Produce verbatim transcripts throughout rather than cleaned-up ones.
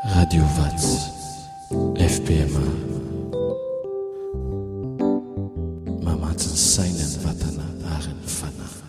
Radio Vatsy F P M A mamatsy ny saina, ny vatana ary ny fanahy.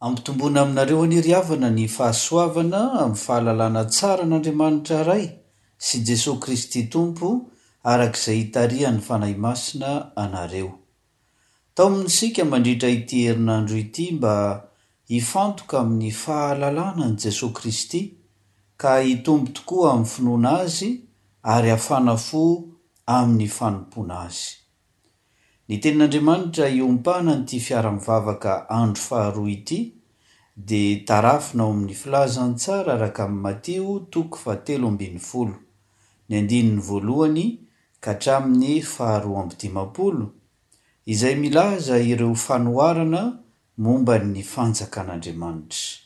Ampitomboina aminareo anie ry havana ny fahasoavana amin'ny fahalalana tsara an'Andriamanitra Ray sy Jesoa Kristy Tompo araka izay itarihan'ny Fanahy Masina anareo. Taomina isika mandritra ity herinandro ity mba hifantoka amin'ny fahalalana an'i Jesoa Kristy ka hitombo tokoa amin'ny finoana Azy ary hafana fo amin'ny fanompoana Azy. Ny tenin'Andriamanitra iompanan'ity fiara-mivavaka andro faharoa ity dia tarafina ao amin'ny Filazantsara araka an'i Matio toko fahatelo ambin'ny folo, ny andininy voalohany ka hatramin'ny faharoa amby dimampolo, izay milaza ireo fanoharana momba ny fanjakan'Andriamanitra.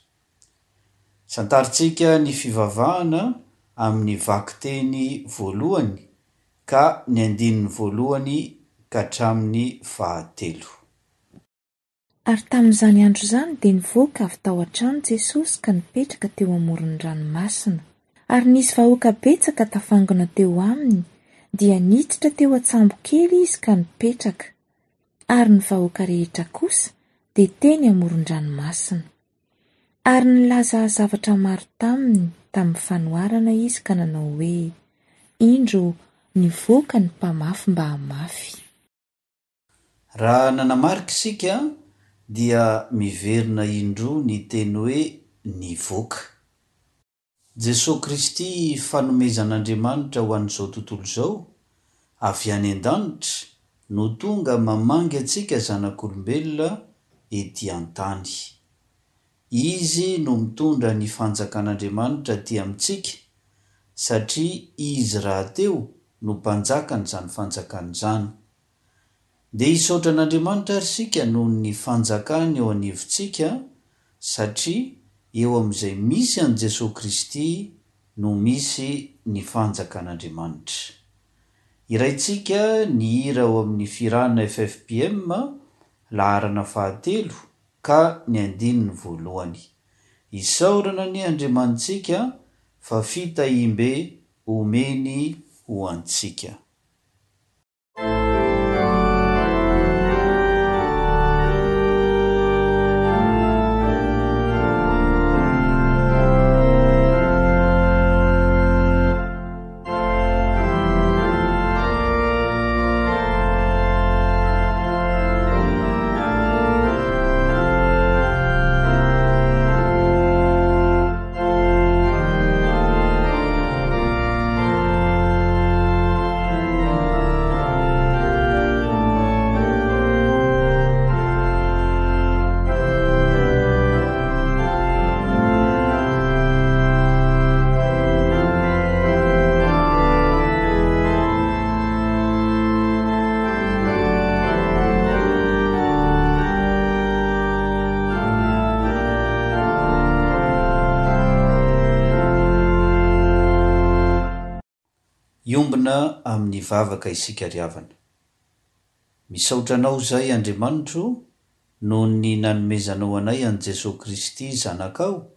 Santarintsika ny fivavahana amin'ny vakiteny voalohany ka ny andininy voalohany ka hatramin'ny fahatelo. Ary tamin'izany andro izany dia nivoaka avy tao an-trano Jesosy ka nipetraka teo amoron'ny ranomasina. Ary nisy vahoaka betsaka tafangona teo aminy, dia niditra teo an-tsambo kely izy ka nipetraka. Ary ny vahoaka rehetra kosa dia teny amoron-dranomasina. Ary nilaza zavatra maro taminy tamin'ny fanoharana izy ka nanao hoe: Indro nivoaka ny mpamafy mba hamafy. Raha nanamarika isika dia miverina indroa ny teny hoe nivoaka. Jesoa Kristy fanomezan'Andriamanitra ho an'izao tontolo izao, avy any an-danitra, no tonga mamangy antsika zanak'olombelona ety an-tany. Izy no mitondra ny fanjakan'Andriamanitra aty amintsika, satria Izy rahateo no mpanjakan'izany fanjakana izany. Dia hisaotra an'Andriamanitra ary isika noho ny fanjakany eo anivontsika, satria eo amin'izay misy an'i Jesoa Kristy no misy ny fanjakan'Andriamanitra. Hiraintsika ny hira ao amin'ny Firana F F P M laharana fahatelo ka ny andininy voalohany. Isaorana anie Andriamanitsika fa fitahiam-be omeny ho antsika. Hiombona amin'ny vavaka isika ry havana. Misaotra anao izahay Andriamanitro noho ny nanomezanao anay an'i Jesoa Kristy Zanakao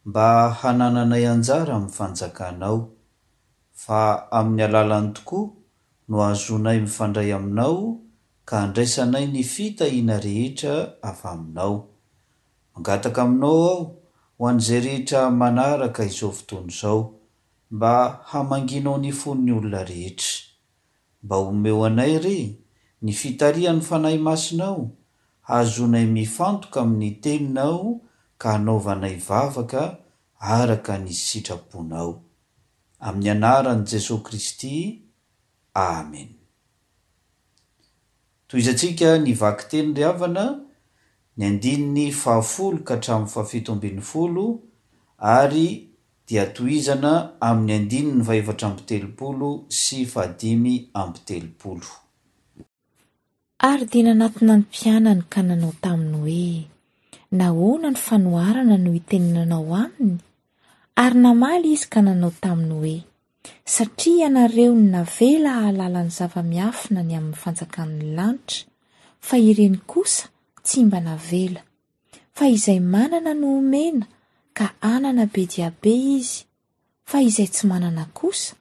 mba hanananay anjara amin'ny fanjakanao, fa amin'ny alalany tokoa no ahazoanay mifandray aminao ka handraisanay ny fitahiana rehetra avy aminao. Mangataka aminao aho ho an'izay rehetra manaraka izao fotoana izao, mba hamangianao ny fon'ny olona rehetra. Mba omeo anay re ny fitarihan'ny Fanahy Masinao, hahazoanay mifantoka amin'ny teninao ka hanaovanay vavaka araka ny sitraponao. Amin'ny anaran'i Jesoa Kristy, Amen. Tohizantsika ny vakiteny ry havana, ny andininy fahafolo ka hatramin'ny fahafito ambin'ny folo ary dia tohizana amin'ny andininy fahefatra amby telopolo sy fahadimy amby telopolo. Ary dia nanatona ny mpianany ka nanao taminy hoe, Nahoana ny fanoharana no itenenanao aminy? Ary namaly izy ka nanao taminy hoe, Satria ianareo no navela hahalala ny zava-miafina ny amin'ny fanjakan'ny lanitra, fa ireny kosa tsy mba navela. Fa izay manana no omena, ka hanana be dia be izy, fa izay tsy manana kosa,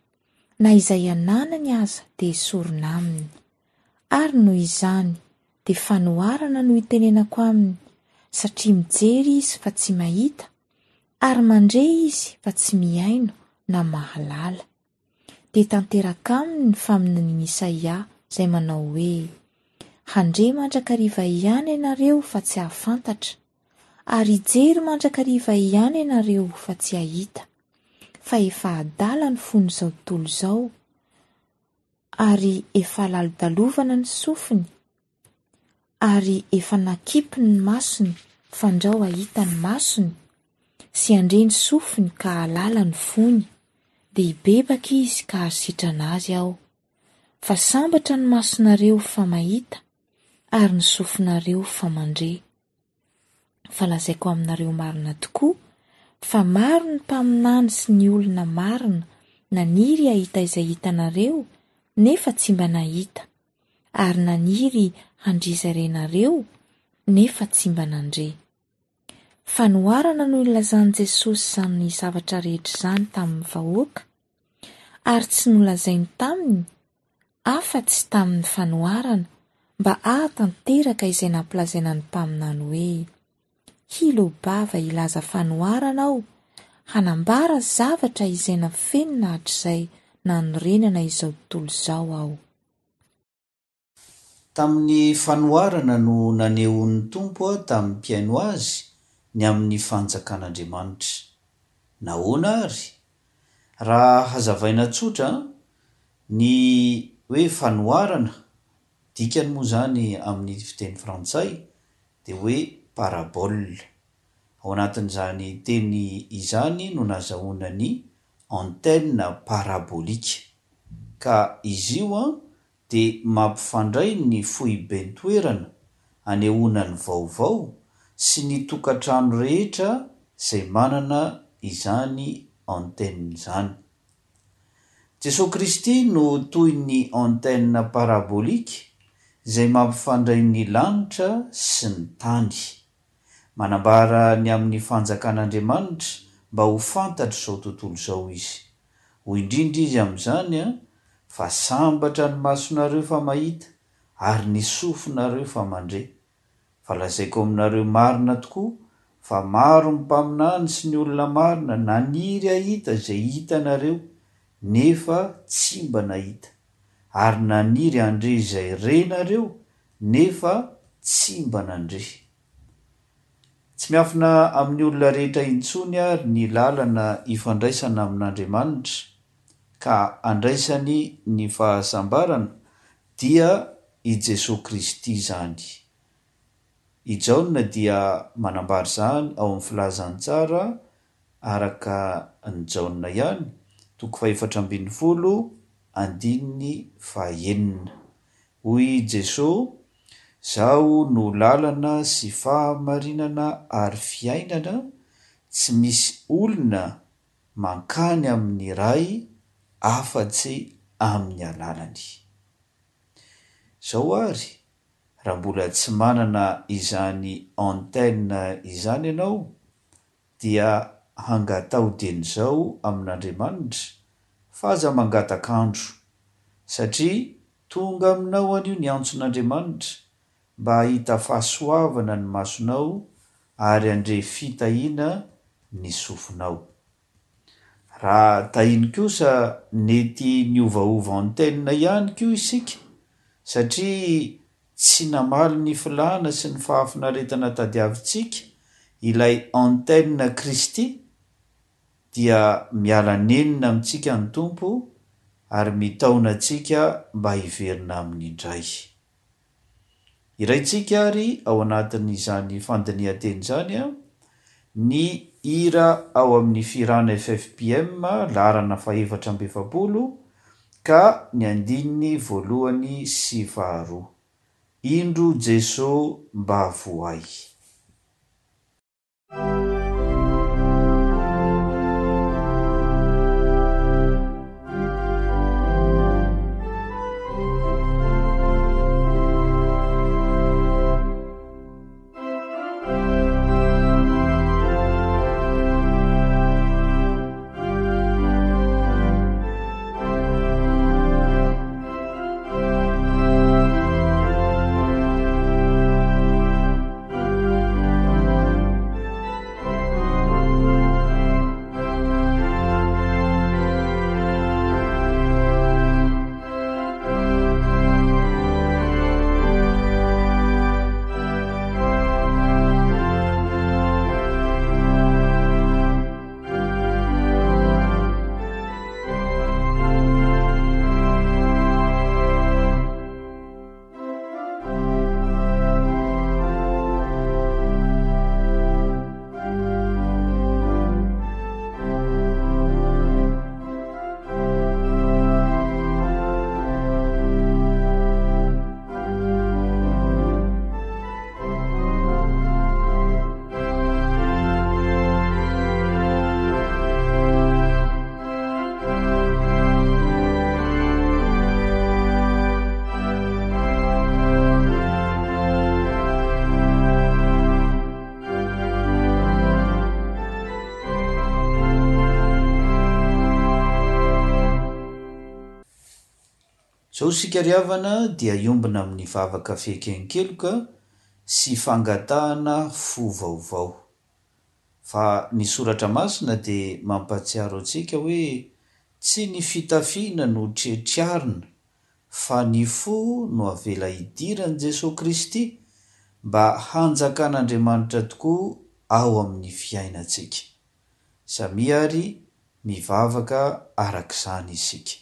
na izay ananany aza dia esorina aminy. Ary noho izany dia fanoharana no itenenako aminy, satria mijery izy fa tsy mahita, ary mandre izy fa tsy mihaino na mahalala. Dia tanteraka aminy ny faminanian'i Isaia izay manao hoe, Handre mandrakariva ihany ianareo fa tsy hahafantatra, ary hijery mandrakariva ihany ianareo fa tsy hahita, fa efa adala ny fon'izao tontolo izao, ary efa lalodalovana ny sofiny, ary efa nakipiny ny masony fandrao hahita ny masony, sy handre ny sofiny ka hahalala ny fony, dia hibebaka izy ka hahasitrana azy aho. Fa sambatra ny masonareo fa mahita, ary ny sofinareo fa mandre. Fa lazaiko aminareo marina tokoa, fa maro ny mpaminany sy ny olona marina naniry hahita izay hitanareo, nefa tsy mba nahita, ary naniry handre izay renareo, nefa tsy mba nandre. Fanoharana no nilazan'i Jesosy izany zavatra rehetra izany tamin'ny vahoaka, ary tsy nolazainy taminy afa-tsy tamin'ny fanoharana mba hahatanteraka izay nampilazaina ny mpaminany hoe, Hiloa-bava hilaza fanoharana aho, hanambara zavatra izay nafenina hatrizay nanorenana izao tontolo izao aho. Tamin'ny fanoharana no nanehoan'ny Tompo tamin'ny mpihaino Azy ny amin'ny fanjakan'Andriamanitra. Nahoana àry? Raha hazavaina tsotra, ny hoe fanoharana, dikany moa izany amin'ny fiteny frantsay dia hoe parabole. Ao anatin'izany teny izany no nazahoana ny antenne parabolique. Ka izy io dia mampifandray ny foiben-toerana anehoana ny vaovao sy ny tokantrano rehetra izay manana izany antenne izany. Jesoa Kristy no toy ny antenne parabolique izay mampifandray ny lanitra sy ny tany. Manambara ny amin'ny fanjakan'Andriamanitra mba ho fantatr'izao tontolo izao izy. Hoy indrindra izy amin'izany, Fa sambatra ny masonareo fa mahita, ary ny sofinareo fa mandre. Fa lazaiko aminareo marina tokoa, fa maro ny mpaminany sy ny olona marina naniry hahita izay hitanareo, nefa tsy mba nahita, ary naniry handre izay renareo, nefa tsy mba nandre. Tsy miafina amin'ny olona rehetra intsony àry ny lalana ifandraisana amin'Andriamanitra, ka andraisany ny fahasambarana, dia i Jesoa Kristy izany. I Jaona dia manambara izany ao amin'ny Filazantsara araka an'i Jaona ihany, toko fahefatra ambin'ny folo, andininy fahenina. Hoy i Jesoa, Zaho no lalana sy fahamarinana ary fiainana, tsy misy olona mankany amin'ny Ray afa-tsy amin'ny alalany. Izao àry, raha mbola tsy manana izany antenne izany ianao, dia hangataho dieny izao amin'Andriamanitra, fa aza mangataka andro, satria tonga aminao anio ny antson'Andriamanitra mba hahita fahasoavana ny masonao ary handre fitahiana ny sofinao. Raha tahiny kosa nety niovaova antenne ihany koa isika satria tsy namaly ny filàna sy ny fahafinaretana tadiavintsika ilay antenne Kristy dia miala nenina amintsika ny Tompo ary mitaona antsika mba hiverina Aminy indray. Hiraintsika ary ao anatin'izany fandinihan-teny izany ny hira ao amin'ny Fihirana F F P M laharana fahefatra amby efapolo ka ny andininy voalohany sy faharoa. Indro Jeso mba vohay. Zao isika ry havana dia hiombona amin'ny vavaka fieken-keloka sy fangatahana fo vaovao. Fa ny soratra masina dia mampahatsiaro antsika hoe tsy ny fitafiana no tretriarina fa ny fo no avela hidiran'i Jesoa Kristy mba hanjakan'Andriamanitra tokoa ao amin'ny fiainantsika. Samia ary mivavaka arak'izany isika.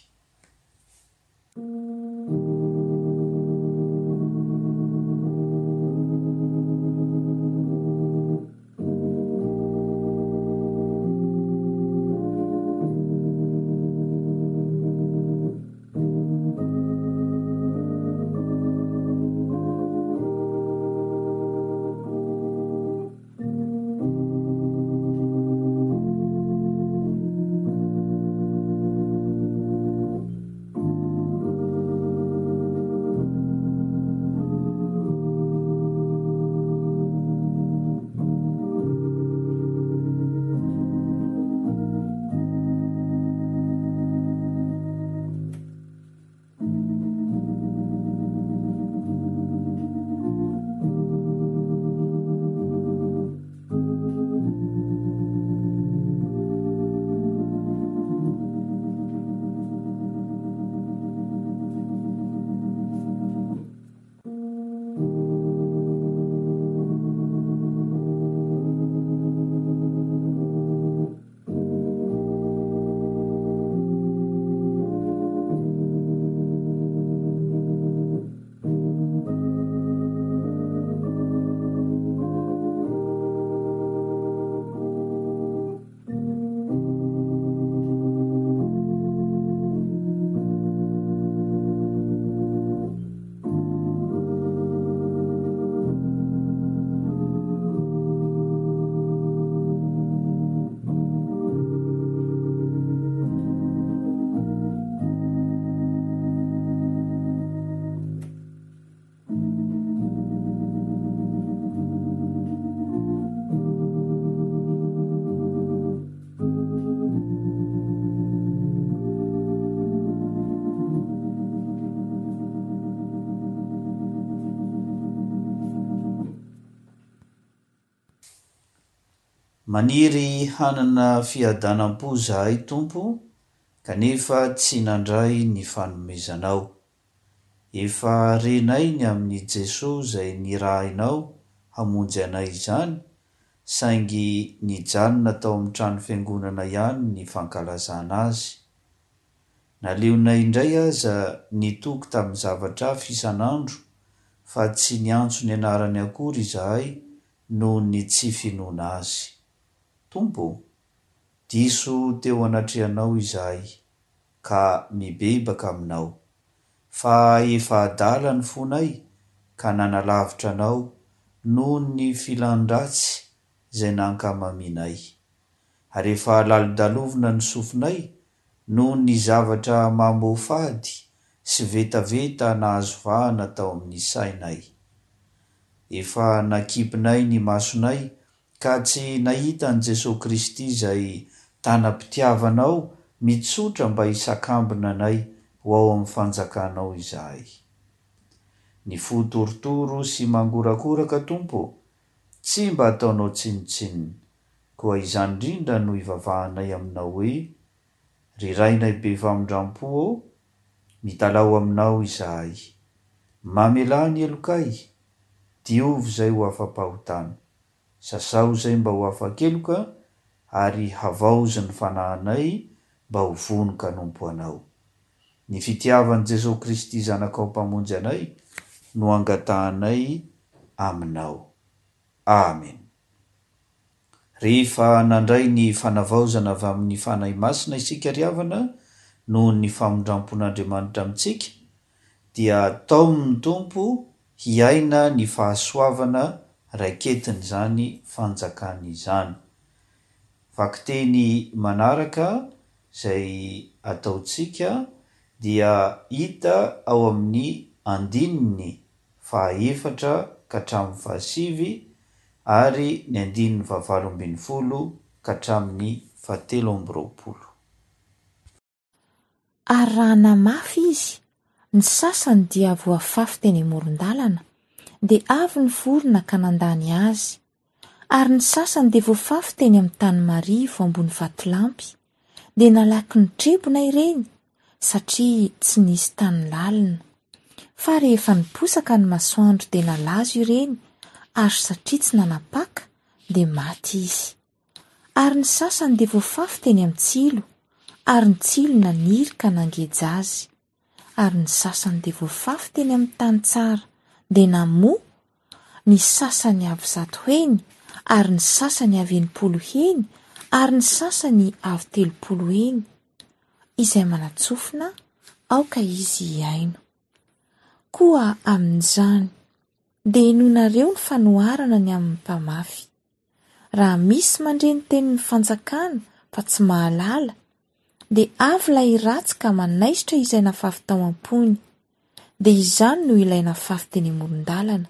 Maniry hanana fiadanam-po zahay Tompo kanefa tsy nandray ny fanomezanao. Efa renay ny amin'i Jesoa izay nirahinao hamonjy anay izany saingy nijanona tao amin'ny trano fiangonana ihany ny fankalazana azy. Naleonay indray aza nitoky tamin'ny zavatra hafa isan'andro fa tsy niantso ny anarany akory izahay noho ny tsy finoana Azy. Tompo ô, diso teo anatrehanao izahay, ka mibebaka Aminao. Fa efa adala ny fonay ka nanalavitra Anao noho ny filan-dratsy izay nankamamianay. Ary efa lalodalovina ny sofinay noho ny zavatra mamoafady sy vetaveta nahazo vahana tao amin'ny sainay. Efa nakipinay ny masonay ka tsy nahita an'i Jesoa Kristy izay tanam-pitiavanao mitsotra mba hisakambina anay ho ao amin'ny fanjakanao izahay. Ny fo torotoro sy mangorakoraka Tompo ô, tsy mba ataonao tsinontsinona. Koa izany indrindra no ivavahanay aminao hoe, Ry Rainay be famindrampo ô, mitalaho aminao izahay. Mamelà ny helokay, diovy izay ho afa-pahotana. Sasao izay mba ho afa-keloka ary havaozy ny fanahinay mba ho vonon-kanompo Anao. Ny fitiavan'i Jesoa Kristy Zanakao Mpamonjy anay no angatahanay Aminao. Amen. Rehefa nandray ny fanavaozana avy amin'ny Fanahy Masina isika ry havana noho ny famindrampon'Andriamanitra amintsika dia taomin'ny Tompo hiaina ny fahasoavana raiketin'izany fanjakany izany. Vakiteny manaraka izay ataontsika dia hita ao amin'ny andininy fahaefatra ka hatramin'ny fahasivy ary ny andininy fahavalo ambin'ny folo ka hatramin'ny fahatelo amby roapolo. Ary raha namafy izy, ny sasany dia voafafy teny amoron-dalana, dia avy ny vorona ka nandany azy. Ary ny sasany dia voafafy teny amin'ny tany marivo ambony vatolampy, dia nalaky nitrebona ireny, satria tsy nisy tany lalina. Fa rehefa niposaka ny masoandro dia nalazo ireny, ary satria tsy nanapaka, dia maty izy. Ary ny sasany dia voafafy teny amin'ny tsilo, ary ny tsilo naniry ka nangeja azy. Ary ny sasany dia voafafy teny amin'ny tany tsara, dia namoa, ny sasany avy zato heny, ary ny sasany avy enimpolo heny, ary ny sasany avy telopolo heny. Izay manan-tsofina, aoka izy hihaino. Koa amin'izany, dia henoinareo ny fanoharana ny amin'ny mpamafy. Raha misy mandre ny tenin'ny fanjakana fa tsy mahalala, dia avy ilay ratsy ka manaisotra izay nafafy tao am-pony. Dia izany no ilay nafafy teny amoron-dalana.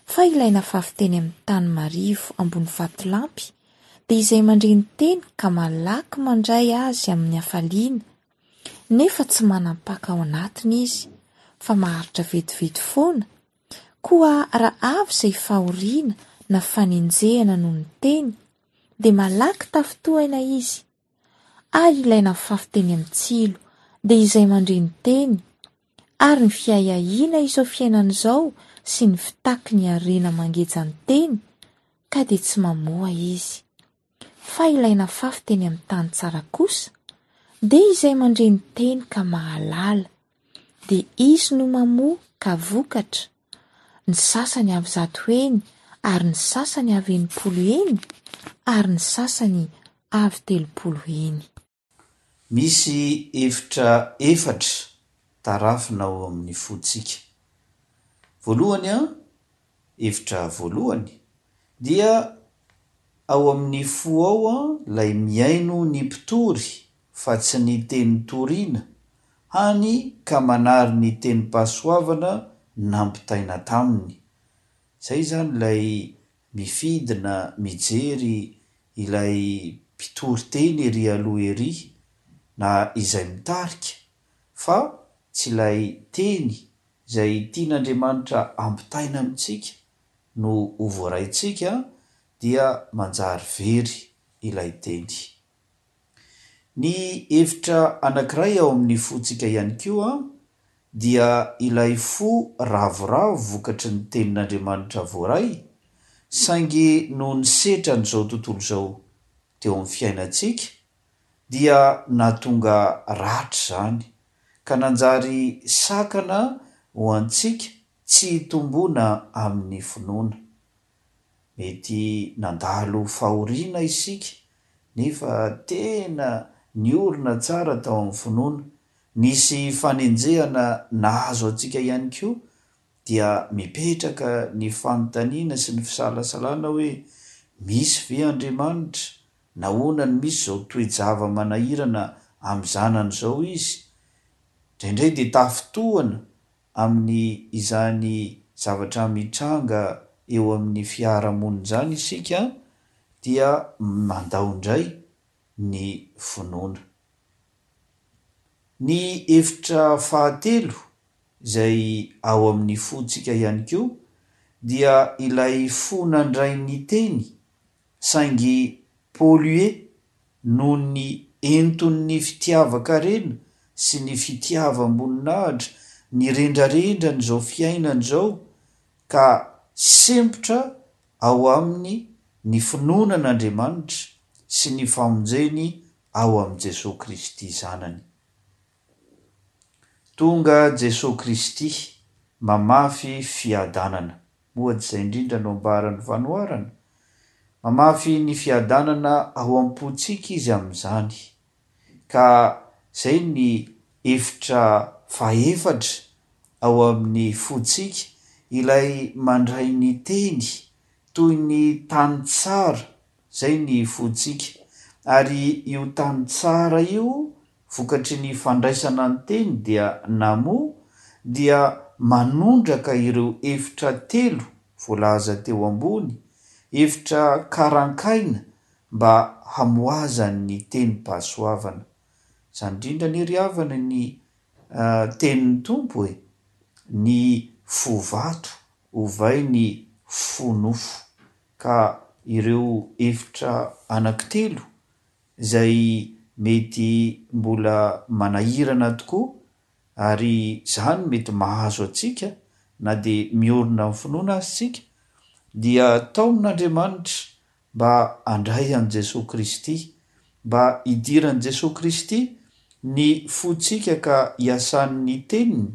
Fa ilay nafafy teny amin'ny tany marivo ambony vatolampy dia izay mandre ny teny ka malaky mandray azy amin'ny hafaliana, nefa tsy manam-paka ao anatiny izy, fa maharitra vetivety foana, koa raha avy izay fahoriana na fanenjehana noho ny teny, dia malaky tafintohina izy. Ary ilay nafafy teny amin'ny tsilo dia izay mandre ny teny, ary ny fiahiahiana izao fiainana izao sy ny fitaky ny harena mangeja ny teny, ka dia tsy mamoa izy. Fa ilay nafafy teny amin'ny tany tsara kosa, dia izay mandre ny teny ka mahalala, dia izy no mamoa ka vokatra, ny sasany avy zato heny, ary ny sasany avy enimpolo heny, ary ny sasany avy telopolo heny. Misy efitra efatra tarafina ao amin'ny fontsika. Voalohany an, efitra voalohany, dia ao amin'ny fo ao an, ilay mihaino ny mpitory fa tsy ny teny toriana, hany ka manary ny tenim-pahasoavana nampitaina taminy. Izay izany ilay mifidy na mijery ilay mpitory teny ery aloha ery na izay mitarika fa tsy ilay teny izay tian'Andriamanitra ampitaina amintsika no ho voaraintsika dia manjary very ilay teny. Ny hevitra anankiray ao amin'ny fontsika ihany koa dia ilay fo ravoravo vokatry ny tenin'Andriamanitra voaray, saingy noho ny setran'izao tontolo izao teo amin'ny fiainantsika dia nahatonga ratra izany ka nanjary sakana ho antsika tsy hitomboana amin'ny finoana. Mety nandalo fahoriana isika nefa tena niorina tsara tao amin'ny finoana. Nisy fanenjehana nahazo antsika ihany koa dia mipetraka ny fanontaniana sy ny fisalasalana hoe, misy ve Andriamanitra? Nahoana no misy izao toe-java-manahirana amin'ny zanany izao izy? Indraindray dia tafintohina amin'ny izany zavatra mitranga eo amin'ny fiarahamonina izany isika dia mandao indray ny finoana. Ny efitra fahatelo izay ao amin'ny fontsika ihany koa dia ilay fo nandray ny teny saingy pollué noho ny enton'ny fitiavan-karena sy ny fitiavam-boninahitra nirendrarendran'izao fiainana izao ka sempotra ao aminy ny finoana an'Andriamanitra sy ny famonjeny ao amin'i Jesoa Kristy Zanany. Tonga Jesoa Kristy mamafy fiadanana. Moa tsy izay indrindra no ambaran'ny fanoharana? Mamafy ny fiadanana ao am-pontsika Izy amin'izany. Ka izay ny efitra fahefatra ao amin'ny fontsika, ilay mandray ny teny toy ny tany tsara, izay ny fontsika. Ary io tany tsara io, vokatry ny fandraisana ny teny dia namoa, dia manondraka ireo efitra telo voalaza teo ambony, efitra karankaina mba hamoazany ny tenim-pahasoavana. Izany indrindra anie ry havana ny tenin'ny Tompo e! Ny fo vato ovainy fo nofo. Ka ireo efitra anankitelo izay mety mbola manahirana tokoa ary izany mety mahazo antsika na dia miorina amin'ny finoana aza isika dia taomin'Andriamanitra mba handray an'i Jesoa Kristy, mba hidiran'i Jesoa Kristy ny fontsika ka hiasan'ny teniny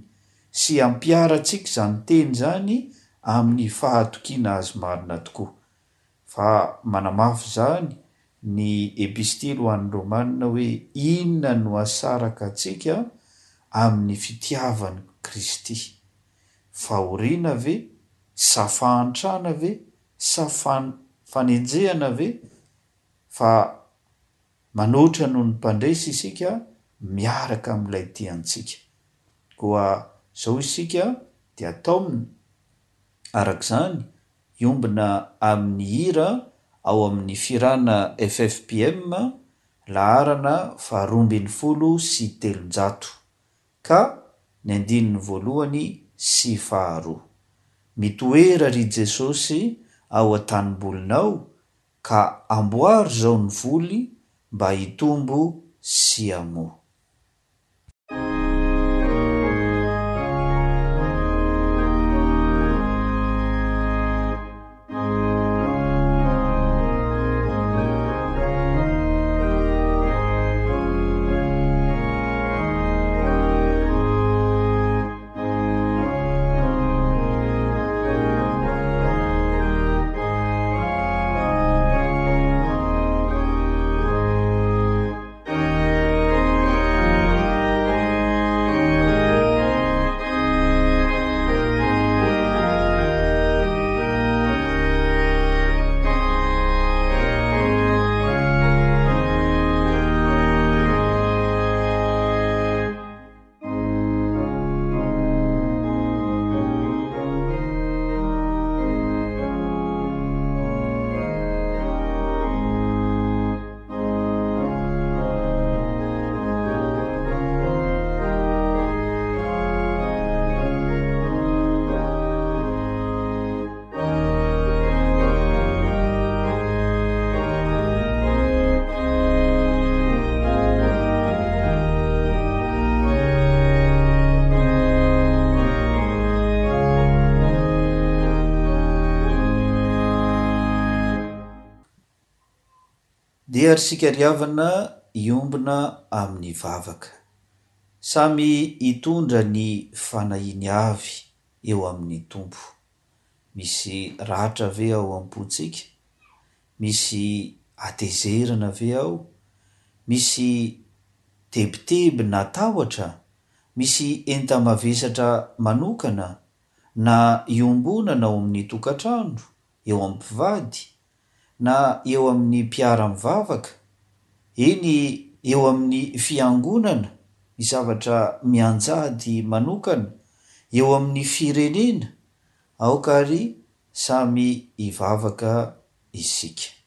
sy hampiharantsika izany teny izany amin'ny fahatokiana azy marina tokoa. Fa manamafy izany ny epistily ho an'ny Romana hoe inona no hahasaraka antsika amin'ny fitiavan'i Kristy? Fahoriana ve? Sa fahantrana ve? Sa fan-, fanenjehana ve? Fa manoatra noho ny mpandresy isika miaraka amin'ilay tiantsika. Koa izao isika dia taomina araka izany hiombona amin'ny hira ao amin'ny Firana F F P M laharana faharoa ambin'ny folo sy telonjato ka ny andininy voalohany sy faharoa. Mitoera ry Jesosy ao an-tanimbolinao ka amboary izao ny voly mba hitombo sy hamoa. Dia ry isika ry havana hiombona amin'ny vavaka. Samy hitondra ny fanahiany avy. eo amin'ny Tompo. Misy ratra ve ao am-pontsika? Misy hatezerana ve ao? Misy tebiteby na tahotra? Misy enta-mavesatra manokana na iombonana ao amin'ny tokantrano, eo amin'ny mpivady, na eo amin'ny mpiara-mivavaka, eny eo amin'ny fiangonana, ny zavatra mianjady manokana, eo amin'ny firenena? Aoka àry samy hivavaka isika.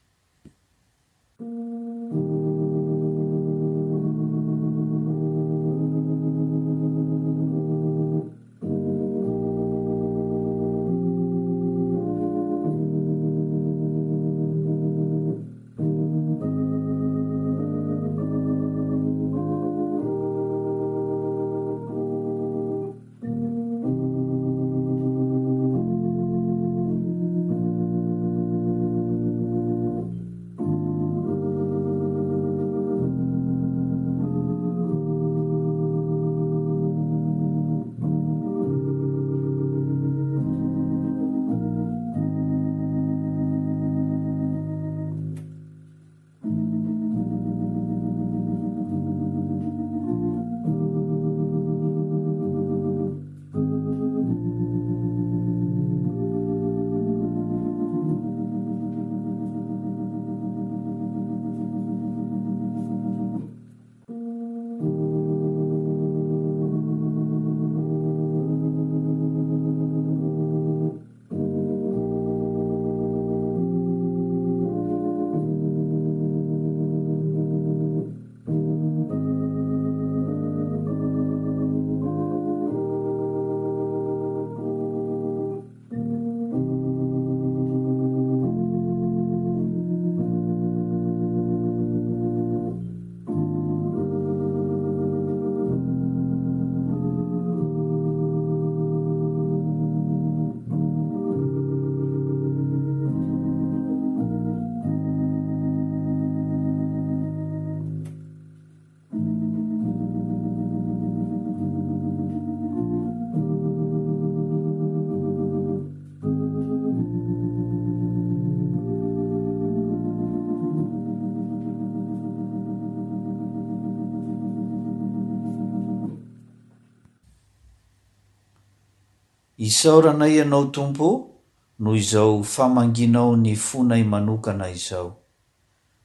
Isaorana Ianao Tompo ô noho izao famangianao ny fonay manokana izao.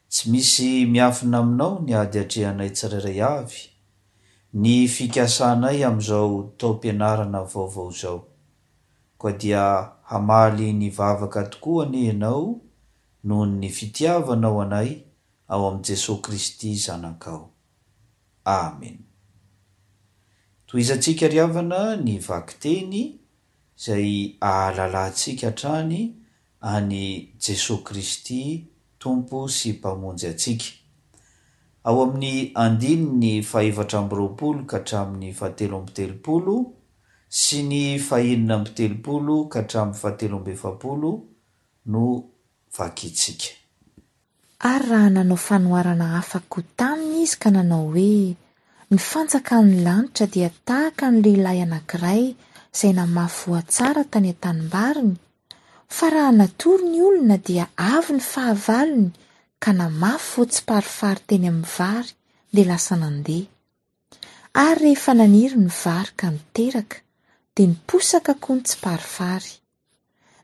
Tsy misy miafina aminao ny ady atrehanay tsirairay avy, ny fikasanay amin'izao taom-pianarana vaovao izao. Koa dia hamaly ny vavaka tokoa anie Ianao noho ny fitiavanao anay ao amin'i Jesoa Kristy Zanakao. Amen. Tohizantsika ry havana ny vakiteny izay ahalalantsika hatrany an'i Jesoa Kristy Tompo sy Mpamonjy antsika. Ao amin'ny andininy fahefatra amby roapolo ka hatramin'ny fahatelo amby telopolo sy ny fahenina amby telopolo ka hatramin'ny fahatelo amby efapolo no vakintsika. Ary raha nanao fanoharana hafa koa taminy izy ka nanao hoe, Ny fanjakan'ny lanitra dia tahaka ny lehilahy anankiray izay namafy voa tsara tany an-tanimbariny, fa raha natory ny olona dia avy ny fahavalony ka namafy voa tsiparifary teny amin'ny vary dia lasa nandeha. Ary rehefa naniry ny vary ka niteraka, dia niposaka koa ny tsiparifary.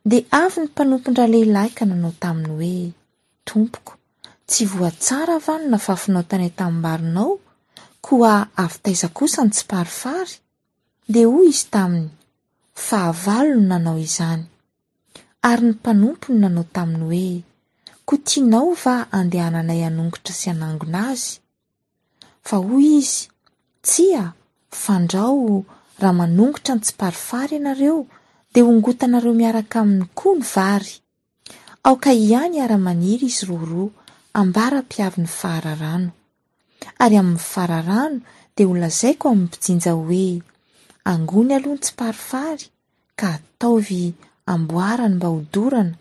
Dia avy ny mpanompon-dralehilahy ka nanao taminy hoe, Tompoko, tsy voa tsara va no nafafinao tany an-tanimbarinao? Koa avy taiza kosa ny tsiparifary? Dia hoy izy taminy, Fahavalo no nanao izany. Ary ny mpanompony nanao taminy hoe, Koa tianao va handehananay hanongotra sy hanangona azy? Fa hoy izy, Tsia, fandrao raha manongotra ny tsiparifary ianareo, dia hongotanareo miaraka aminy koa ny vary. Aoka ihany hiara-maniry izy roa roa ambara-piavin'ny fararano. Ary amin'ny fararano dia holazaiko amin'ny mpijinja hoe, Angony aloha ny tsiparifary, ka ataovy amboarany mba hodorana,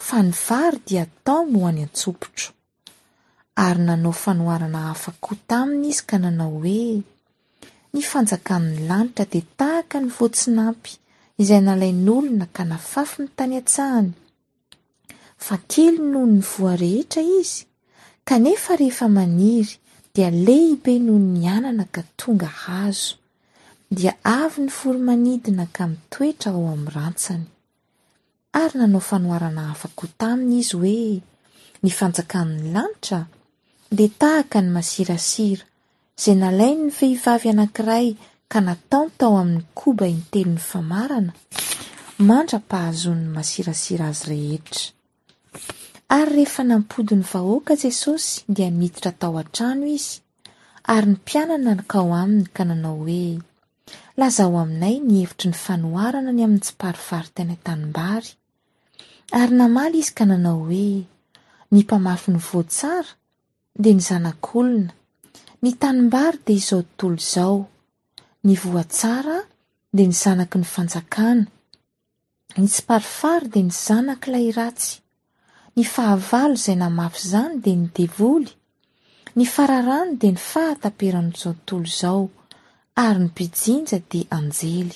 fa ny vary dia ataony ho any an-tsopitro. Ary nanao fanoharana hafa koa taminy izy ka nanao hoe, Ny fanjakan'ny lanitra dia tahaka ny voatsinampy izay nalain'olona ka nafafiny tany an-tsahany, fa kely noho ny voa rehetra izy, kanefa rehefa maniry dia lehibe noho ny anana ka tonga hazo, dia avy ny voro-manidina ka mitoetra ao amin'ny rantsany. Ary nanao fanoharana hafa koa taminy izy hoe, Ny fanjakan'ny lanitra dia tahaka ny masirasira izay nalain'ny vehivavy anankiray ka nataony tao amin'ny koba intelon'ny famarana, mandra-pahazoan'ny masirasira azy rehetra. Ary rehefa nampody ny vahoaka Jesosy dia niditra tao an-trano izy, ary ny mpianany nankao aminy ka nanao hoe, Lazao aminay ny hevitry ny fanoharana ny amin'ny tsiparifary tany an-tanimbary. Ary namaly izy ka nanao hoe, Ny mpamafy ny voa tsara dia ny Zanak'olona, ny tanimbary dia izao tontolo izao, ny voa tsara dia ny zanaky ny fanjakana, ny tsiparifary dia ny zanak'ilay ratsy, ny fahavalo izay namafy izany dia ny devoly, ny fararano dia ny fahataperan'izao tontolo izao, ary ny mpijinja dia anjely.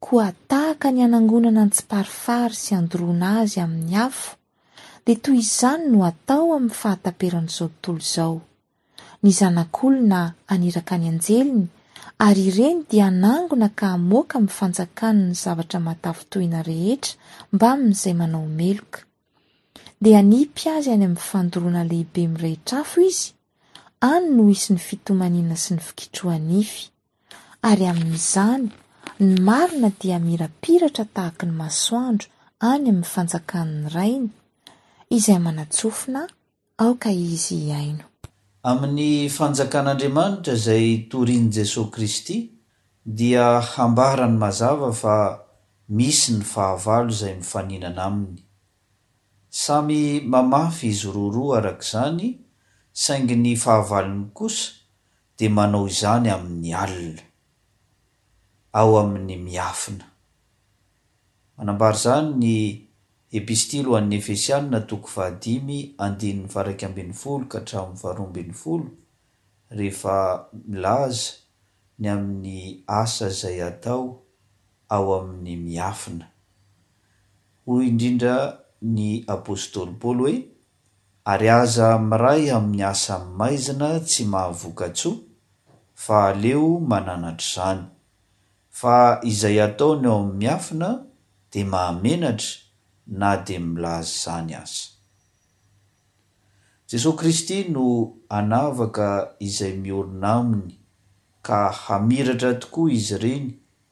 Koa tahaka ny hanangonana ny tsiparifary sy handoroana azy amin'ny afo, dia toy izany no hatao amin'ny fahataperan'izao tontolo izao. Ny Zanak'olona haniraka ny anjeliny, ary ireny dia hanangona ka hamoaka amin'ny fanjakany ny zavatra mahatafintohina rehetra mbamin'izay manao meloka. Dia hanipy azy any amin'ny fandoroana lehibe mirehitra afo izy, any no hisy ny fitomaniana sy ny fikitroha-nify. Ary amin'izany, ny marina dia hamirapiratra tahaky ny masoandro any amin'ny fanjakan'ny Rainy, izay manan-tsofina, aoka izy hihaino. Amin'ny fanjakan'Andriamanitra izay torin'i Jesoa Kristy dia hambarany mazava fa misy ny fahavalo izay mifaninana aminy. Samy mamafy izy roroa araka izany, saingy ny fahavalony kosa dia manao izany amin'ny alina, ao amin'ny miafina. Manambara izany ny Epistily ho an'ny Efesianina toko fahadimy andininy faha-iraika ambin'ny folo ka hatramin'ny faharoa ambin'ny folo, rehefa milaza ny amin'ny asa izay atao ao amin'ny miafina. Hoy indrindra ny apostoly Paoly hoe, Ary aza miray amin'ny asa maizina tsy mahavoka-tsoa, fa aleo mananatra izany. Fa izay ataony ao amin'ny miafina dia mahamenatra na dia milaza izany aza. Jesoa Kristy no hanavaka izay miorina Aminy ka hamiratra tokoa izy ireny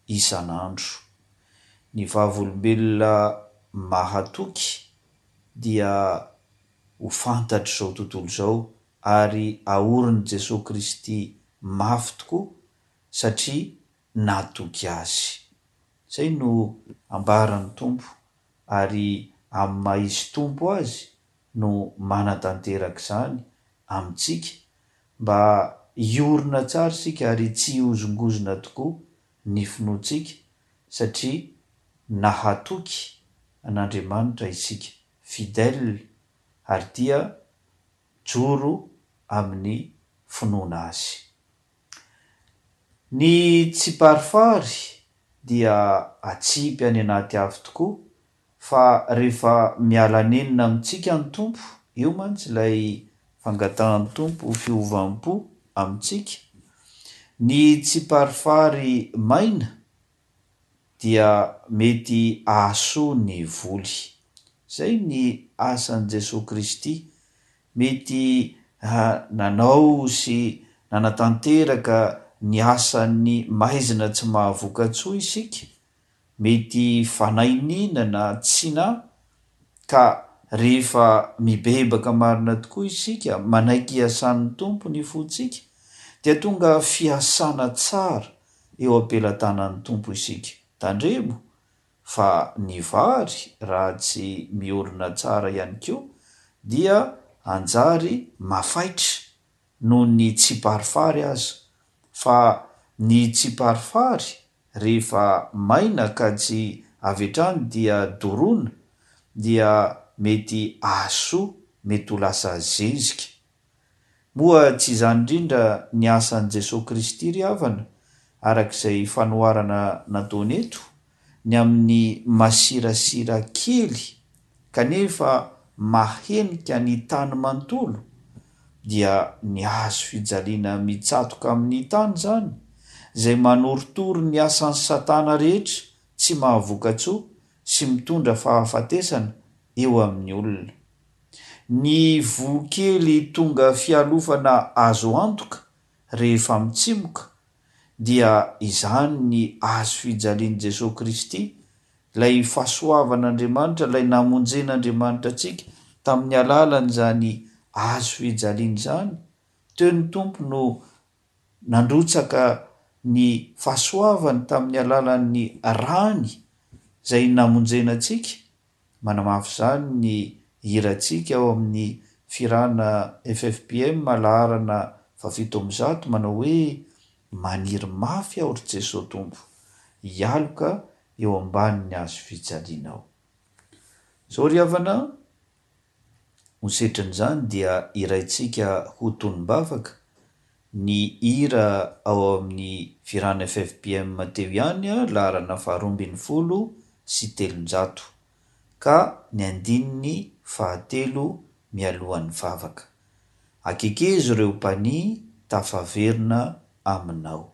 isan'andro. Ny vavolombelona mahatoky dia ho fantatr'izao tontolo izao ary aorin'i Jesoa Kristy mafy tokoa satria natoky Azy. Izay no ambaran'ny Tompo ary amin'ny maha Izy Tompo Azy no manatanteraka izany amintsika mba hiorina tsara isika ary tsy hihozongozona tokoa ny finoantsika satria nahatoky an'Andriamanitra isika, fidèle, ary dia joro amin'ny finoana Azy. Ny tsiparifary dia atsipy any anaty afo tokoa fa rehefa miala nenina amintsika ny Tompo, eo mantsy ilay fangatahan'ny Tompo fiovam-po amintsika, ny tsiparifary maina dia mety hahasoa ny voly. Izay ny asan'i Jesoa Kristy, mety nanao sy nanatanteraka ny asan'ny maizina tsy mahavoka-tsoa isika, mety fanainiana na tsy na, ka rehefa mibebaka marina tokoa isika, manaiky hiasan'ny Tompo ny fontsika, dia tonga fiasana tsara eo am-pelatanan'ny Tompo isika. Tandremo fa ny vary raha tsy miorina tsara ihany koa dia hanjary mafaitra noho ny tsiparifary aza, fa ny tsiparifary rehefa maina ka tsy avy hatrany dia doroana dia mety hahasoa, mety ho lasa zezika. Moa tsy izany indrindra ny asan'i Jesoa Kristy ry havana, araka izay fanoharana nataony eto? ny amin'ny masirasira kely kanefa mahenika ny tany manontolo, dia ny hazo fijaliana mitsatoka amin'ny tany izany, izay manorotoro ny asan'i Satana rehetra tsy mahavoka-tsoa sy mitondra fahafatesana eo amin'ny olona. Ny voa kely tonga fialofana azo antoka rehefa mitsimoka dia izany ny hazo fijalian'i Jesoa Kristy, ilay fahasoavan'Andriamanitra, ilay namonjen'Andriamanitra antsika tamin'ny alalan'izany hazo fijaliana izany. Teo ny Tompo no nandrotsaka ny fahasoavany tamin'ny alalan'ny rany izay namonjena antsika. Manamafy izany ny hirantsika ao amin'ny Fihirana F F P M laharana fahafito amby zato manao hoe Maniry mafy aho ry Jesoa Tompo, hialoka eo ambanin'ny hazo fijalianao. Izao ry havana, ho setrin'izany dia hiraintsika ho tonom-bavaka ny hira ao amin'ny Fihirana F F P M teo ihany, laharana faharoa ambin'ny folo sy telonjato, ka ny andininy fahatelo mialohan'ny vavaka. Akekezo ireo mpania tafaverina aminao.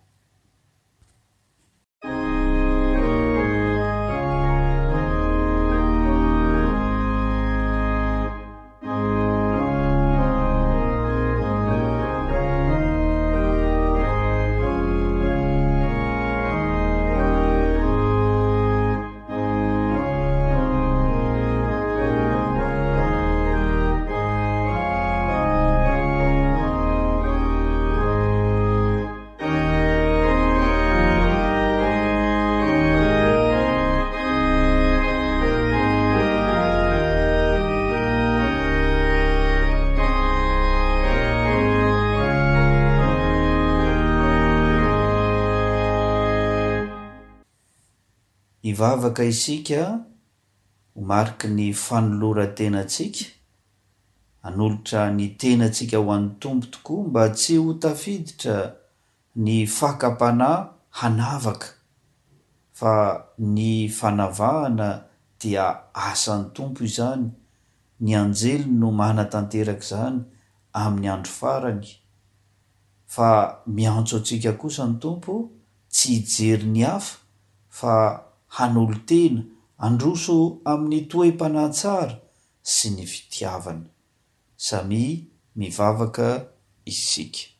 Hivavaka isika ho mariky ny fanoloran-tenantsika, hanolotra ny tenantsika ho an'ny Tompo tokoa mba tsy ho tafiditra ny fakam-panahy hanavaka, fa ny fanavahana dia asan'ny Tompo izany, ny anjely no manatanteraka izany amin'ny andro farany, fa miantso antsika kosa ny Tompo tsy hijery ny hafa fa hanolo-tena handroso amin'ny toe-panahy tsara sy ny fitiavana. Samia mivavaka isika.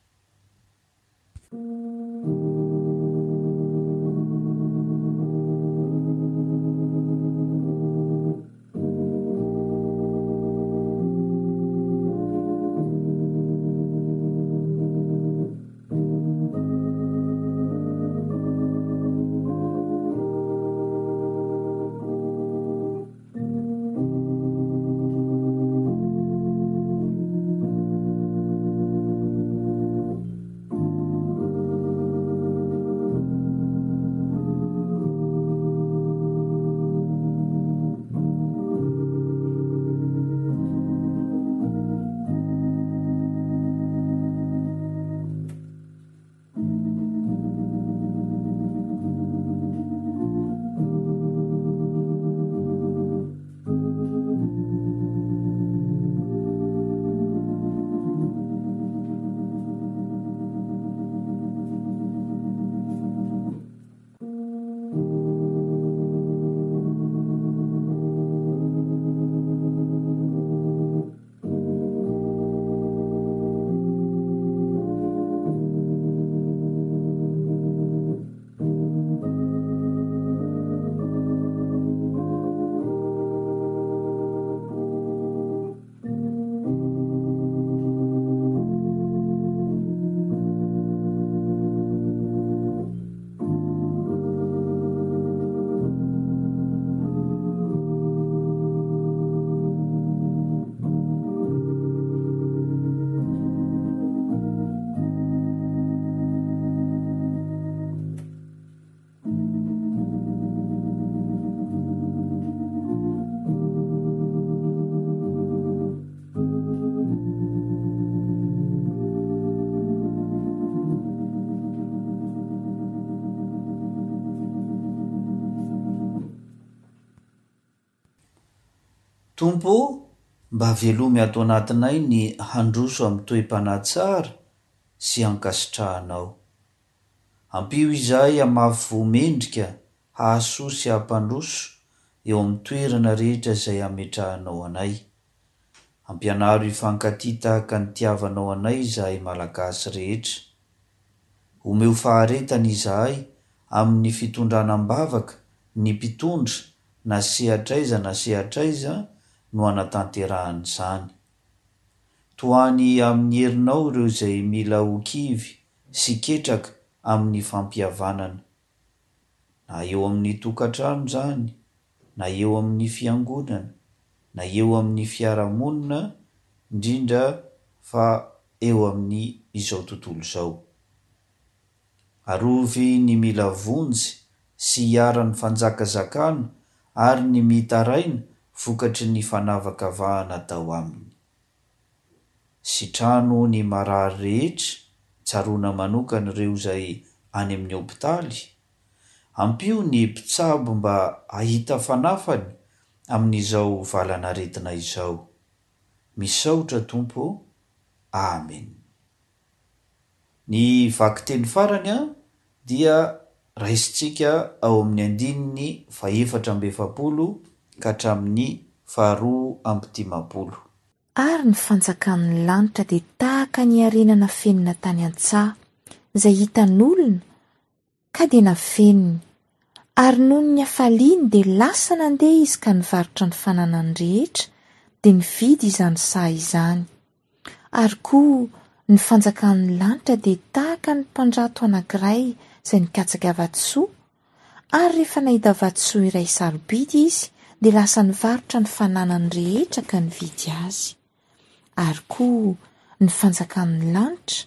Tompo ô, mba velomy ato anatinay ny handroso amin'ny toe-panahy tsara sy ankasitrahanao. Ampio izahay hamafy voa mendrika hahasoa sy hampandroso eo amin'ny toerana rehetra izay hametrahanao anay. Ampianaro hifankatia tahaka ny nitiavanao anay izahay Malagasy rehetra. Omeo faharetana izahay amin'ny fitondrana am-bavaka ny mpitondra na sehatra aiza na sehatra aiza no hanatanterahana izany. Tohany amin'ny herinao ireo izay mila ho kivy sy ketraka amin'ny fampihavanana. Na eo amin'ny tokantrano izany, na eo amin'ny fiangonana, na eo amin'ny fiarahamonina, indrindra fa eo amin'ny izao tontolo izao. Arovy ny mila vonjy sy iharan'ny fanjakazakana ary ny mitaraina vokatry ny fanavakavahana atao aminy. Sitrano ny marary rehetra, tsaroana manokana ireo izay any amin'ny hopitaly. Ampio ny mpitsabo mba hahita fanafany amin'izao valan'aretina izao. Misaotra Tompo ô. Amen. Ny vakiteny farany dia raisintsika ao amin'ny andininy fahefatra amby efapolo ka hatramin'ny faharoa amby dimampolo. Ary ny fanjakan'ny lanitra dia tahaka ny harena nafenina tany an-tsaha, izay hitan'olona, ka dia nafeniny. Ary noho ny hafaliany dia lasa nandeha izy ka nivarotra ny fananany rehetra, dia nividy izany saha izany. Ary koa ny fanjakan'ny lanitra dia tahaka ny mpandrato anankiray izay nikatsaka vatosoa, ary rehefa nahita vatosoa iray sarobidy izy, dia lasa nivarotra ny fananany rehetra ka nividy azy. Ary koa ny fanjakan'ny lanitra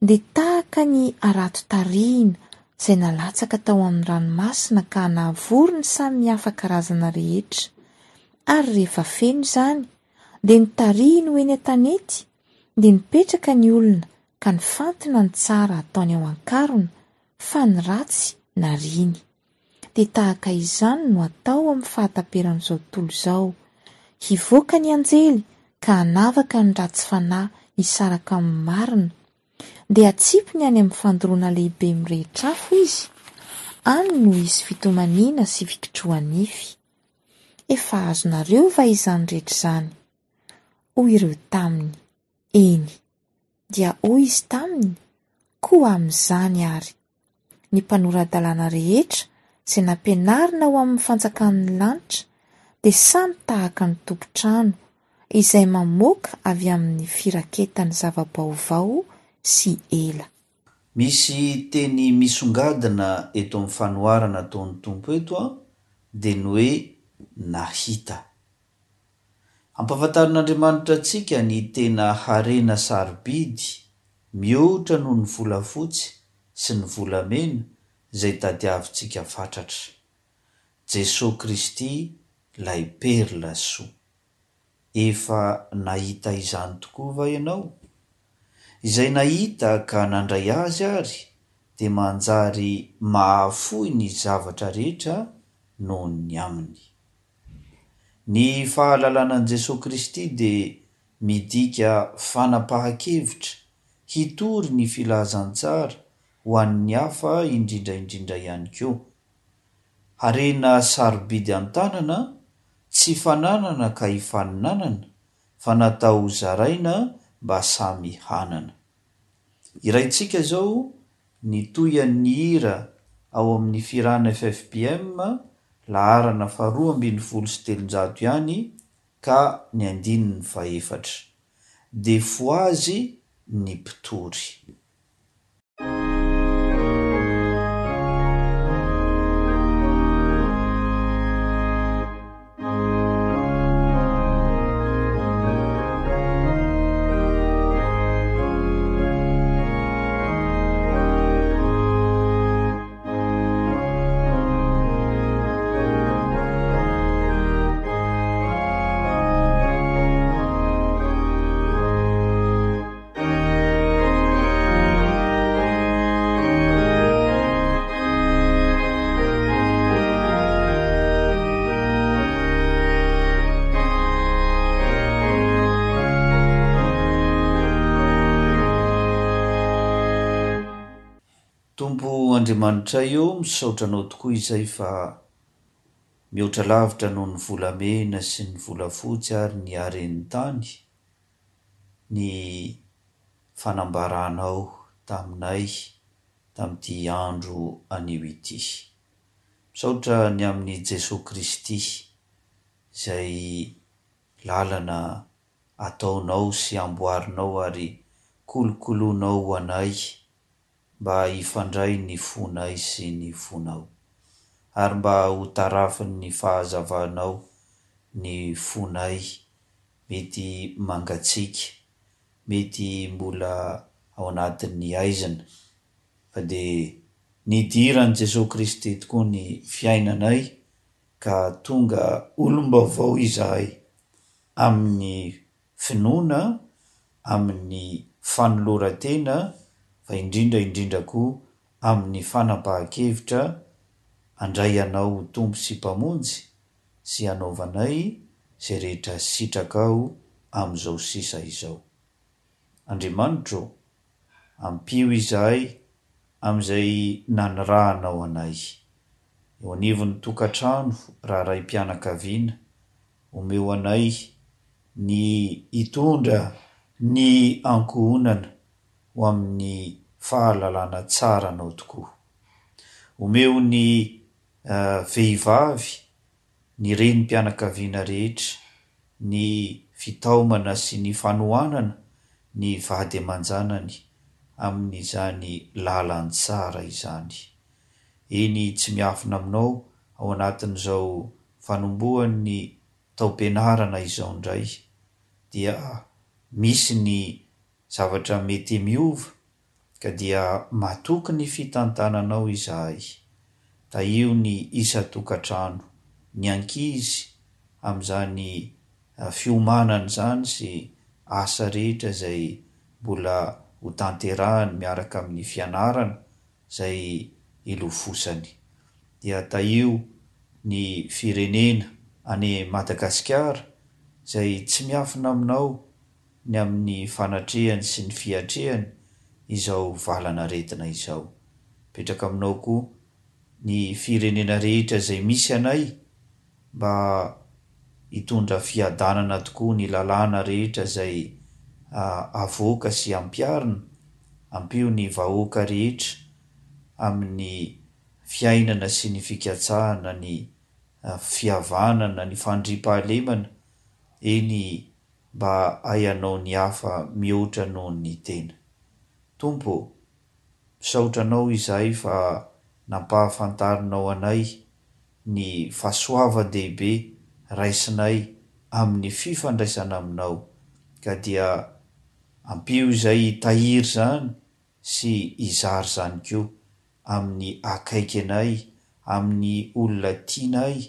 dia tahaka ny harato tarihina izay nalatsaka tao amin'ny ranomasina ka nahavory ny samihafa karazana rehetra. Ary rehefa feno izany, dia notarihiny ho eny an-tanety, dia nipetraka ny olona ka nifantina ny tsara ataony ao an-karona, fa ny ratsy nariany. Dia tahaka izany no atao amin'ny fahataperan'izao tontolo izao. Hivoaka ny anjely ka hanavaka ny ratsy fanahy hisaraka amin'ny marina. Dia hatsipiny any amin'ny fandoroana lehibe mirehitra afo izy. Any no hisy fitomaniana sy fikitroha-nify. Efa azonareo va izany rehetra izany? Hoy ireo taminy, Eny. Dia hoy izy taminy, Koa amin'izany àry, ny mpanora-dalàna rehetra izay nampianarina ho amin'ny fanjakan'ny lanitra dia samy tahaka ny tompon-trano izay mamoaka avy amin'ny firaketany zava-baovao sy ela. Misy teny misongadina eto amin'ny fanoharana ataon'ny Tompo eto dia ny hoe nahita. Ampahafantarin'Andriamanitra antsika ny tena harena sarobidy mihoatra noho ny volafotsy sy ny volamena izay tadiavintsika fatratra. Jesoa Kristy ilay perla soa. Efa nahita izany tokoa va ianao? Izay nahita ka nandray Azy ary dia manjary mahafoy ny zavatra rehetra noho ny Aminy. Ny fahalalana an'i Jesoa Kristy dia midika fanapahan-kevitra hitory ny filazantsara ho an'ny hafa indrindra indrindra ihany koa. Harena sarobidy an-tanana, tsy fananana ka ifaninanana, fa natao ho zaraina mba samy hanana. Hiraintsika izao ny tohian'ny hira ao amin'ny Firana F F P M laharana faharoa ambin'ny folo sy telonjato ihany ka ny andininy fahefatra. Dia fohazy ny mpitory. Tompo Andriamanitray ô, misaotra Anao tokoa izay fa mihoatra lavitra noho ny volamena sy ny volafotsy ary ny haren'ny tany ny fanambaranao taminay tamin'ity andro anio ity. Misaotra ny amin'i Jesoa Kristy izay lalana ataonao sy amboarinao ary kolokoloinao ho anay mba hifandray ny fonay sy ny fonao, ary mba ho tarafin'ny fahazavanao ny fonay mety mangatsiaka, mety mbola ao anatin'ny haizina, fa dia nidiran'i Jesoa Kristy tokoa ny fiainanay ka tonga olom-baovao izahay amin'ny finoana, amin'ny fanoloran-tena, fa indrindra indrindra koa amin'ny fanapahan-kevitra handray Anao ho Tompo sy Mpamonjy sy hanaovanay izay rehetra sitrakao amin'izao sisa izao. Andriamanitro ô, ampio izahay amin'izay nanirahanao anay. Eo anivon'ny tokantrano, raha raim-pianakaviana, omeo anay ny hitondra ny ankohonana ho amin'ny fahalalana tsara Anao tokoa. Omeo ny vehivavy, ny renim-pianakaviana rehetra, ny fitaomana sy ny fanohanana ny vady aman-janany amin'izany lalantsara izany. Eny, tsy miafina aminao ao anatin'izao fanombohan'ny taom-pianarana izao indray dia misy ny zavatra mety miova ka dia matoky ny fitantananao izahay. Tahio ny isan-tokantrano, ny ankizy amin'izany fiomanana izany sy asa rehetra izay mbola ho tanterahany miaraka amin'ny fianarana izay ilofosany. Dia tahio ny firenena any Madagasikara izay tsy miafina aminao ny amin'ny fanatrehany sy ny fiatrehany izao valan'aretina izao. Mipetraka aminao koa ny firenena rehetra izay misy anay mba hitondra fiadanana tokoa ny lalàna rehetra izay avoaka sy ampiharina. Ampio ny vahoaka rehetra amin'ny fiainana sy ny fikatsahana ny fihavanana, ny fandriampahalemana, eny mba hahay ny hafa mihoatra noho ny tena. Tompo ô, misaotra Anao izahay fa nampahafantarinao anay ny fahasoavan-dehibe raisinay amin'ny fifandraisana aminao, ka dia ampio izay hitahiry izany sy hizara izany koa amin'ny akaiky anay, amin'ny olona tianay,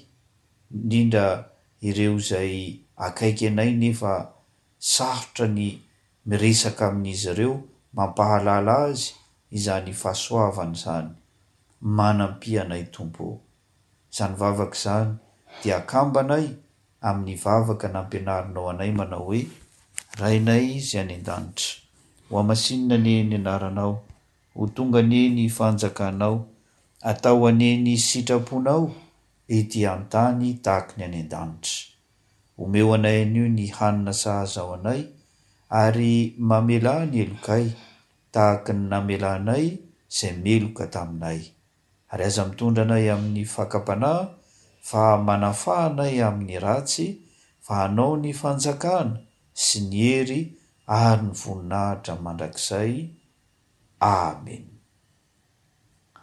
indrindra ireo izay akaiky anay nefa sarotra ny miresaka amin'izy ireo, mampahalala azy izany fahasoavana izany. Manampia anay Tompo ô. Izany vavaka izany dia akambanay amin'ny vavaka nampianarinao anay manao hoe, Rainay izay any an-danitra, hohamasinina anie ny anaranao, ho tonga anie ny fanjakanao, atao anie ny sitraponao ety an-tany tahaky ny any an-danitra. Omeo anay anio ny hanina sahaza ho anay, ary mamelà ny helokay tahaky ny namelanay izay meloka taminay. Ary aza mitondra anay amin'ny fakam-panahy, fa manafaha anay amin'ny ratsy, fa hanao ny fanjakana sy ny hery ary ny voninahitra mandrakizay. Amen.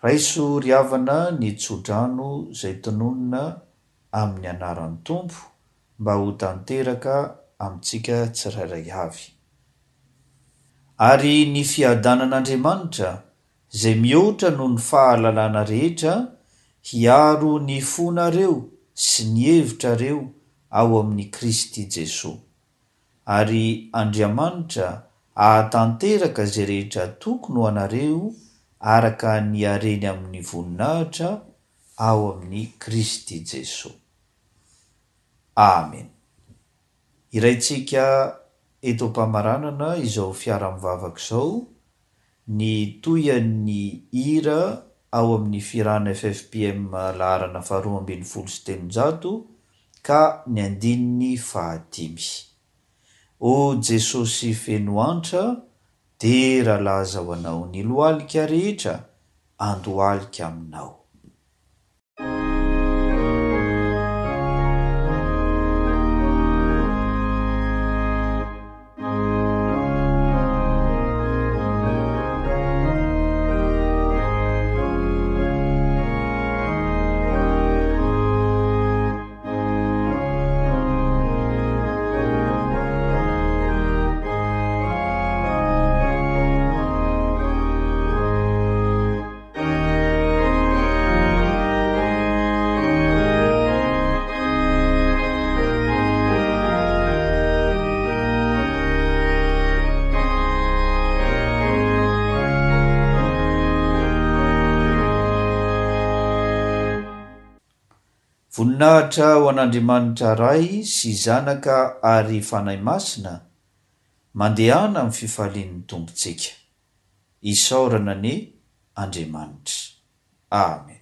Raiso ry havana ny tsodrano izay tononina amin'ny anaran'ny Tompo mba ho tanteraka amintsika tsirairay avy. Ary ny fiadanan'Andriamanitra izay mihoatra noho ny fahalalana rehetra hiaro ny fonareo sy ny hevitrareo ao amin'i Kristy Jesoa. Ary Andriamanitra ahatanteraka izay rehetra tokony ho anareo araka ny hareny amin'ny voninahitra ao amin'i Kristy Jesoa. Amen. Iraintsika eto am-pamaranana izao fiara-mivavaka izao ny tohian'ny hira ao amin'ny Fihirana F F P M laharana faharoa ambin'ny folo sy telonjato ka ny andininy fahadimy. O Jesosy feno antra, dera laza ho Anao, ny lohalika rehetra andohalika aminao. Voninahitra ho an'Andriamanitra Ray sy Zanaka ary Fanahy Masina, mandehana amin'ny fifalian'ny Tompontsika. Isaorana anie Andriamanitra. Amen.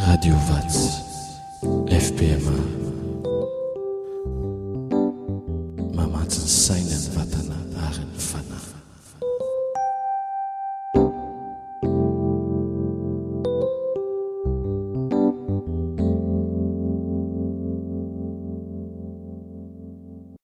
Radio Vatsy.